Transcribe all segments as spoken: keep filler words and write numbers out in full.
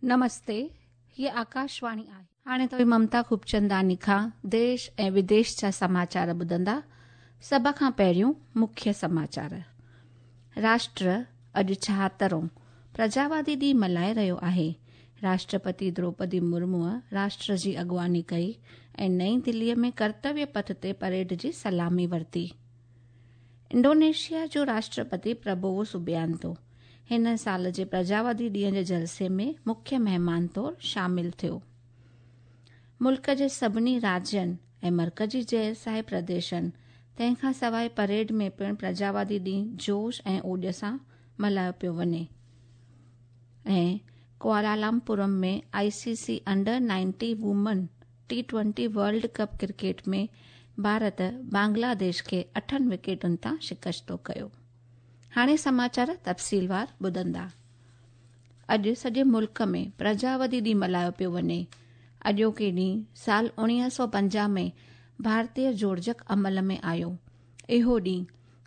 नमस्ते, हीअ आकाशवाणी आहे. हाणे तव्हीं ममता खूबचंदानी खां देश ऐं विदेश जा समाचार ॿुधंदा. सभ खां पहिरियों मुख्य समाचार. राष्ट्र अॼु छाहतरों प्रजावादी ॾींहुं मल्हाए रहियो आहे. राष्ट्रपति द्रौपदी मुर्मूअ राष्ट्र जी अॻुवानी कई ऐं नई दिल्लीअ में कर्तव्य पथ ते परेड जी सलामी वरिती. इंडोनेशिया जो राष्ट्रपति प्रबोवो सुबियांतो हिन साल जे प्रजावादी ॾींहं जे जलसे में मुख्य महिमान तौर शामिल थियो. मुल्क जे सभिनी राज्यनि ऐं मर्कज़ी ज़ैर प्रदेशनि तंहिंखां सवाइ परेड में पिणु प्रजावादी ॾींहुं जोश ऐं ओॾ सां मल्हायो पियो वञे. ऐं Kuala Lumpur में I C C under nineteen women T twenty world cup cricket में भारत बांग्लादेश खे अठनि विकेटुनि तां शिकस्तो कयो. हाणे समाचार तफ़सीलवार ॿुधंदा. अॼु सॼे मुल्क में प्रजावादी ॾींहुं मल्हायो पियो वञे. अॼोके ॾींहुं साल उणिवीह सौ पंजाह में भारतीय जोड़जक अमल में आयो. इहो ॾींहुं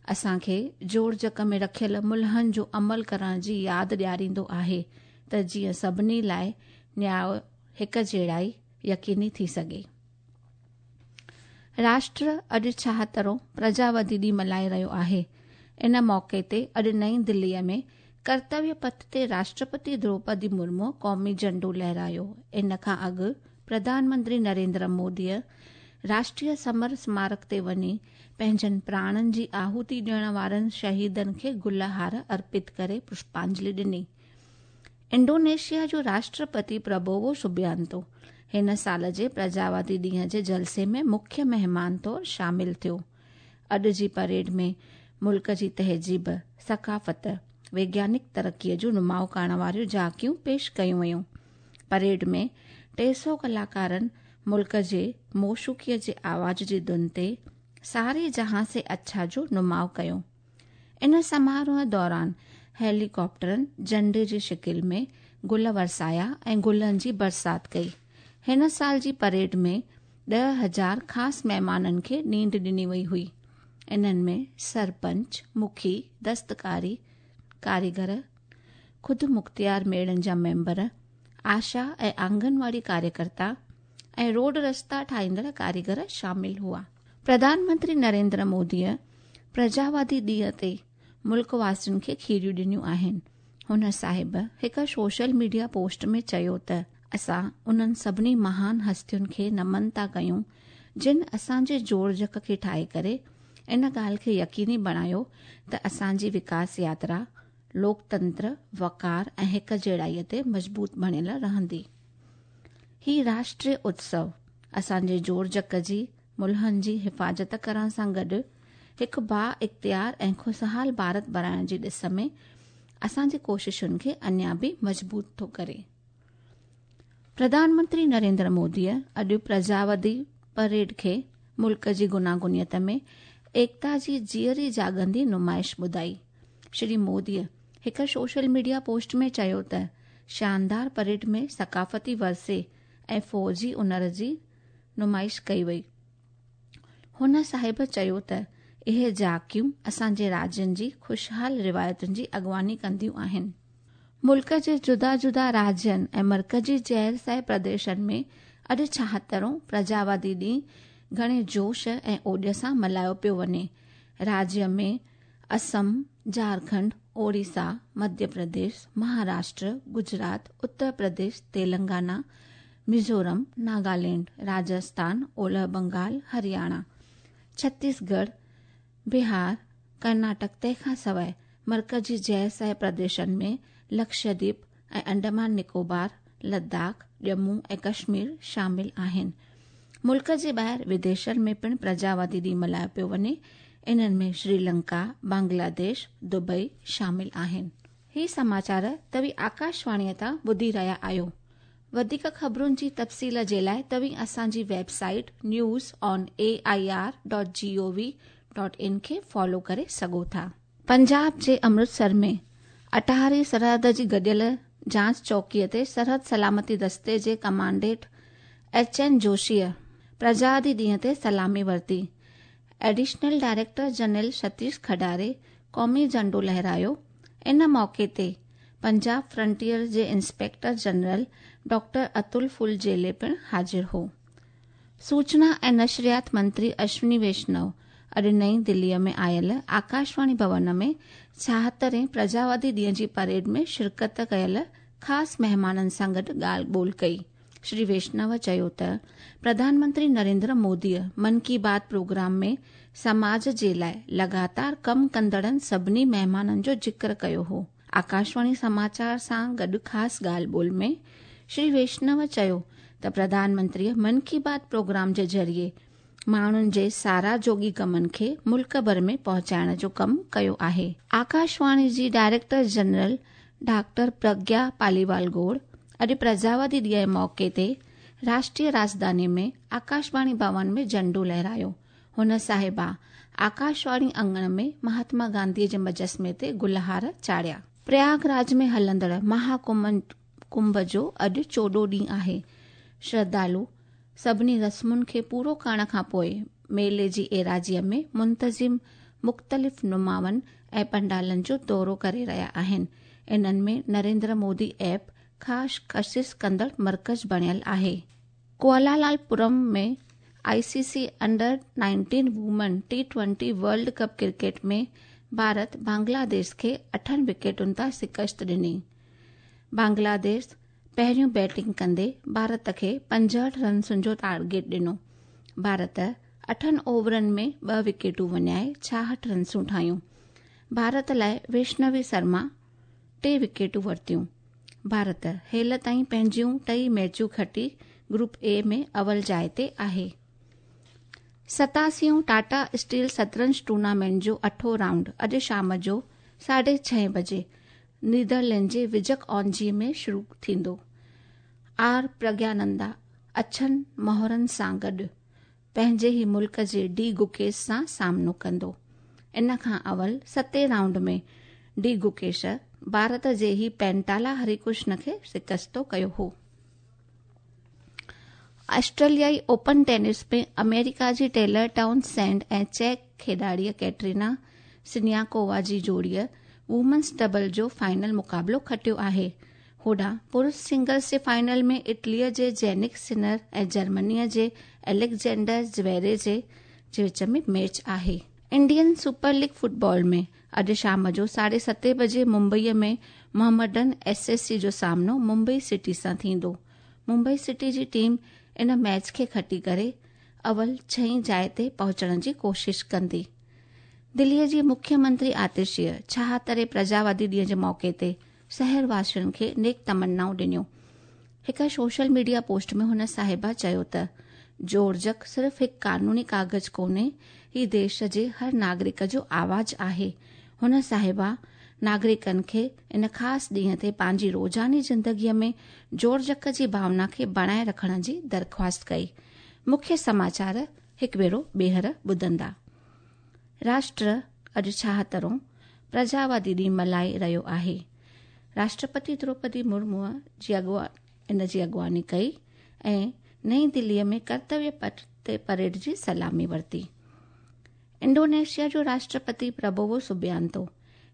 असांखे जोड़जक में रखियल मुल्हनि जो अमल करण जी यादि ॾियारींदो आहे त जीअं सभिनी लाइ न्याय हिक जहिड़ाई यकीनी थी सघे. राष्ट्र अॼु छाहतरों प्रजावादी ॾींहुं मल्हाए रहियो आहे. इन मौक़े ते अॼु नई दिल्लीअ में कर्तव्य पथ ते राष्ट्रपति द्रौपदी मुर्मू क़ौमी झंडो लहरायो. इन खां अॻु प्रधानमंत्री नरेंद्र मोदीअ राष्ट्रीय समर स्मारक ते वञी पंहिंजनि प्राणनि जी आहुति ॾियण वारनि शहीदनि खे गुल हार अर्पित करे पुष्पांजलि ॾिनी. इंडोनेशिया जो राष्ट्रपति प्रबोवो सुबियांतो हिन साल जे प्रजावादी ॾींहं जे जलसे में मुख्य महिमान तौर शामिल थियो. अॼु जी परेड में मुल्क जी तहज़ीब, सकाफ़त, वैज्ञानिक तरक़ीअ जो नुमाउ करण वारियूं झांकियूं पेश कयूं वयूं. परेड में टे सौ कलाकारनि मुल्क जे मौशूक़ीअ जे आवाज़ जी धुन ते सारे जहां से अच्छा जो नुमाउ कयो. इन समारोह दौरान हेलीकॉप्टरनि झंडे जी शिकिल में गुल वरसाया ऐं गुलनि जी बरसात कई. हिन साल जी परेड में ॾह हज़ार ख़ासि महिमाननि खे नींड ॾिनी वई हुई. इन्हनि में सरपंच, मुखी, दस्तकारी कारीगर, ख़ुदि मुख़्तियार मेड़नि जा मेंबर, आशा ऐं आंगनवाड़ी कार्यकर्ता ऐं रोड रस्ता ठाहींदड़ कारीगर शामिल हुआ. प्रधानमंत्री नरेंद्र मोदीअ प्रजावादी ॾींहं ते मुल्क वासियुनि खे खीरियूं ॾिनियूं आहिनि. हुन साहिब हिकु सोशल मीडिया पोस्ट में चयो त असां उन्हनि सभिनी महान हस्तियुनि खे नमन था कयूं जिन असांजे जोड़जक खे ठाहे करे इन ॻाल्हि खे यकीनी बणायो त असांजी विकास यात्रा लोकतंत्र, वकार ऐं हिक जहिड़ाईअ ते मज़बूत बणियल रहंदी. ही राष्ट्रीय उत्सव असांजे जोड़जक जी मुल्हनि जी हिफ़ाज़त करण सां गॾु हिकु बा इख़्तियार ऐं ख़ुशहाल भारत बणाइण जी ॾिस में असांजी कोशिशुनि खे अञा बि मज़बूत थो करे. प्रधानमंत्री नरेंद्र मोदीअ अॼु प्रजावादी परेड खे मुल्क जी गुनागुनियत में एकता जी जीअरी जागंदी नुमाइश ॿुधाई. श्री मोदीअ हिकु सोशल मीडिया पोस्ट में चयो त शानदार परेड में सकाफ़ती वरसे ऐं फ़ौजी हुनर जी नुमाइश कई वई. हुन साहिब चयो त इहे झांकियूं असांजे राज्यनि जी ख़ुशहाल रिवायतुनि जी अॻुवानी कंदियूं आहिनि. मुल्क जे जुदा जुदा राज्यनि ऐं मर्कज़ी ज़ैर प्रदेशनि में अॼु छाहतरों प्रजावादी ॾींहुं घणे जोश ऐं ओॾ सां मल्हायो पियो वञे. राज्य में असम, झारखंड, ओडिशा, मध्य प्रदेश, महाराष्ट्र, गुजरात, उत्तर प्रदेश, तेलंगाना, मिज़ोरम, नागालैंड, राजस्थान, ओलह बंगाल, हरियाणा, छत्तीसगढ़, बिहार, कर्नाटक तंहिंखां सवाइ मर्कज़ी ज़ैर प्रदेशनि में लक्षद्वीप ऐं अंडमान निकोबार, लद्दाख, जम्मू ऐं कश्मीर शामिल आहिनि. मुल्क जे ॿाहिरि विदेशनि में पिणु प्रजावादी ॾींहुं मल्हायो पियो वञे. इन्हनि में श्रीलंका, बांग्लादेश, दुबई शामिल आहिनि. ही समाचार तव्हीं आकाशवाणीअ तां ॿुधी रहिया आहियो. वधीक ख़बरुनि जी तफ़सील जे लाइ तव्हीं असांजी website news on A I R dot G O V dot in खे फॉलो करे सघो था. पंजाब जे अमृतसर में अटारी सरहद जी गॾियल जांच चौकीअ ते सरहद सलामती दस्ते जे कमांडेंट एच एन जोशीअ प्रजादी ॾींहं ते सलामी वरिती. Additional director general Satish Khadare क़ौमी झंडो लहरायो. इन मौक़े ते पंजाब फ्रंटियर जे inspector general doctor Atul Phuljhele पिणु हाज़िर हो। सूचना ऐं नशरियात मंत्री अश्विनी वैष्णव अॼु नई दिल्लीअ में आयल आकाशवाणी भवन में छाहतरें प्रजावादी ॾींहं जी परेड में शिरकत कयल ख़ासि महिमाननि सां गॾु ॻाल्हि ॿोल कई। श्री वैष्णव चयो त प्रधानमंत्री नरेंद्र मोदीअ मन की बात प्रोग्राम में समाज जे लाइ लगातार कमु कंदड़नि सभिनी महिमाननि जो ज़िक्र कयो हो। आकाशवाणी समाचार सां गॾु ख़ासि ॻाल्हि ॿोल में श्री वैष्णव चयो त प्रधानमंत्रीअ मन की बात प्रोग्राम जे ज़रिए माण्हुनि जे सारा जोगी कमनि खे मुल्क भर में पहुचाइण जो कमु कयो आहे। आकाशवाणी जी director general doctor Pragya Paliwal Gaur अॼु प्रजावादी ॾींहं जे मौक़े ते राष्ट्रीय राजधानी में आकाशवाणी भवन में झंडो लहरायो। हुन साहिबा आकाशवाणी अंगण में महात्मा गांधीअ जे मुजस्मे ते गुलहार चाढ़िया। प्रयागराज में हलंदड़ महाकुंभ कुंभ जो अॼु चोॾहों ॾींहुं आहे। श्रद्धालु सभिनी रस्मुनि खे पूरो करण खां पोइ मेले जी एराज़ीअ में मुंतज़िम मुख़्तलिफ़ नुमावनि ऐं पंडालनि जो दौरो करे रहिया आहिनि। इन्हनि में नरेंद्र मोदी ऐप ख़ासि कशिश कंदड़ मर्कज़ बणियल आहे। कुआलालंपुर में ICC under nineteen women T twenty world cup cricket में भारत बांग्लादेश खे अठनि विकेटुनि तां शिकस्त ॾिनी। बांग्लादेश पहिरियों बैटिंग कंदे भारत खे पंजहठि रनसुनि जो टारगेट ॾिनो। भारत अठनि ओवरनि में ॿ विकेटूं वञाए छाहठि रनसूं ठाहियूं। भारत लाइ वैष्णवी शर्मा टे विकेटूं वरितियूं। भारत हेल ताईं पंहिंजियूं टई मैचूं खटी ग्रुप ए में अवल जाइ ते आहे। सतासीयों टाटा स्टील शतरंज टूर्नामेंट जो अठों राउंड अॼु शाम जो साढे छहें बजे नीदरलैंड जे विजक ऑनजी में शुरू थींदो। आर प्रज्ञानंदा अछनि मोहरनि सां गॾु पंहिंजे ई मुल्क जे डी गुकेश सां सामनो कंदो। इन खां अवल सतें राउंड में डी गुकेश भारत जे ई पेंटाला हरिकृष्ण खे शिकस्तो कयो हो। ऑस्ट्रेलियाई ओपन टेनिस में अमेरिका जी टेलर टाउनसेंड ऐं चेक खेॾाड़ीअ कैटरीना सिनियाकोवा जी जोड़ीअ वुमेन्स डबल जो फाइनल मुक़ाबिलो खटियो आहे। होॾां पुरुष सिंगल्स जे फाइनल में इटलीअ जे जेनिक सिनर ऐं जर्मनीअ जे अलेक्जेंडर ज़्वेरे जे विच में मैच आहे। इंडियन सुपर लीग फुटबॉल में अॼु शाम जो साढे सतें बजे मुंबईअ में मोहम्मडन एस एस सी जो सामनो मुंबई सिटी सां थींदो। मुंबई सिटी जी टीम इन मैच खे खटी करे अवल छहीं जाइ ते पहुचण जी कोशिश कंदी। दिल्लीअ जी मुख्यमंत्री आतिशीअ छाहतरें प्रजावादी ॾींहं जे मौक़े ते शहरवासियुनि खे नेक तमन्नाऊं ॾिनियूं। हिकु सोशल मीडिया पोस्ट में हुन साहिबा चयो त जोड़जक सिर्फ़ हिकु कानूनी कागज़ कोन्हे, ही देश जे हर नागरिक जो आवाज़ आहे। हुन साहिबा नागरिकनि खे इन ख़ासि ॾींहं ते पंहिंजी रोज़ानी ज़िंदगीअ में जोड़जक जी भावना खे बणाए रखण जी दरख़्वास्त कई। मुख्य समाचार हिकु भेरो ॿीहर ॿुधंदा। राष्ट्र अॼु छाहतरों प्रजावादी ॾींहुं मल्हाए रहियो आहे। राष्ट्रपति द्रौपदी मुर्मूअ जी अॻुवा इन जी अॻुवानी कई ऐं नई दिल्लीअ में कर्तव्य पथ ते परेड जी सलामी वरिती। इंडोनेशिया जो राष्ट्रपति प्रबोवो सुबियांतो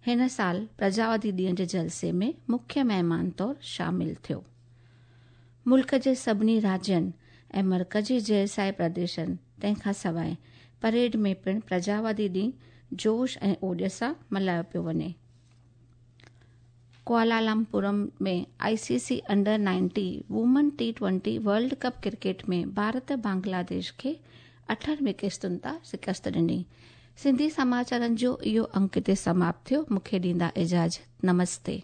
हिन साल प्रजावादी ॾींहं जे जलसे में मुख्य महिमान तौर शामिल थियो। मुल्क जे सभिनी राज्यनि ऐं मर्कज़ी जेरसाए प्रदेशनि तंहिंखां सवाइ परेड में पिणु प्रजावादी ॾींहुं जोश ऐं ओॾ सां मल्हायो पियो वञे। कुआलालंपुर में ICC under nineteen women T twenty world cup cricket में भारत बांग्लादेश खे अठनि विकेटुनि तां शिकस्त ॾिनी। सिंधी समाचारनि जो इहो अंक हिते समाप्त थियो। मूंखे ॾींदा इजाज़त। नमस्ते।